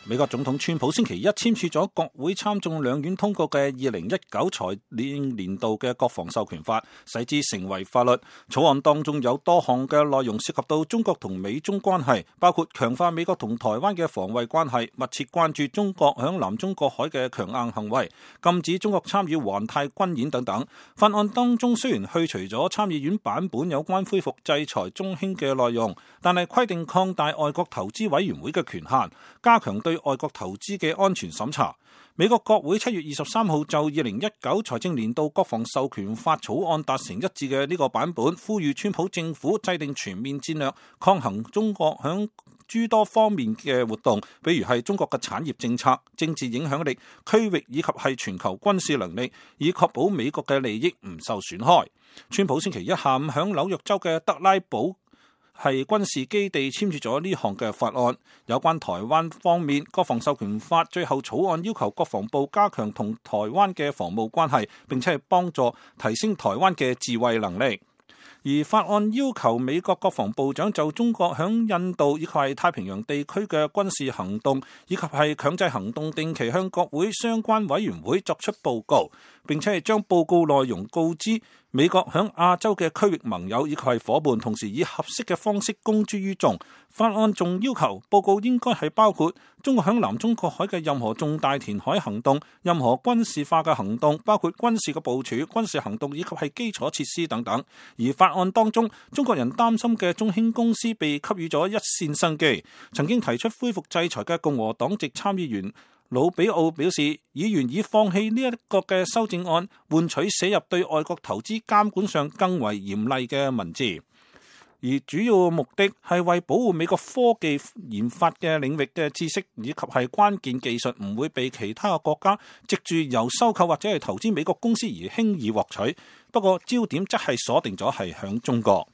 美國總統川普星期一簽署咗國會參眾兩院通過嘅2019財政年度嘅國防授權法，使之成為法律。草案當中有多項嘅內容涉及到中國同美中關係，包括強化美國同台灣嘅防衛關係，密切關注中國響南中國海嘅強硬行為，禁止中國參與環太軍演等等。法案當中雖然去除咗參議院版本有關恢復制裁中興嘅內容，但係規定擴大外國投資委員會嘅權限，加強對外國投資嘅安全審查。美國國會7月23號就2019財政年度國防授權法草案達成一致嘅呢個版本，呼籲川普政府制定全面戰略，抗衡中國響諸多方面嘅活動，比如係中國嘅產業政策、政治影響力、區域以及係全球軍事能力，以確保美國嘅利益唔受損害。川普星期一下午響紐約州嘅德拉堡係軍事基地簽署咗呢項嘅法案。有關台灣方面，國防授權法最後草案要求國防部加強同台灣嘅防務關係，並且係幫助提升台灣嘅自衛能力。而法案要求美國國防部長就中國響印度以及係太平洋地區嘅軍事行動以及係強制行動定期向國會相關委員會作出報告，並且係將報告內容告知美國響亞洲嘅區域盟友以及係夥伴，同時以合適嘅方式公諸於眾。法案仲要求報告應該係包括中國響南中國海嘅任何重大填海行動、任何軍事化嘅行動，包括軍事嘅部署、軍事行動以及係基礎設施等等。而法案當中，中國人擔心嘅中興公司被給予咗一線生機。曾經提出恢復制裁嘅共和黨籍參議員魯比奧表示，議員以放棄呢一個嘅修正案，換取寫入對外國投資監管上更為嚴厲嘅文字。而主要目的係為保護美國科技研發嘅領域嘅知識以及係關鍵技術唔會被其他嘅國家藉住由收購或者係投資美國公司而輕易獲取。不過焦點則係鎖定咗係響中國。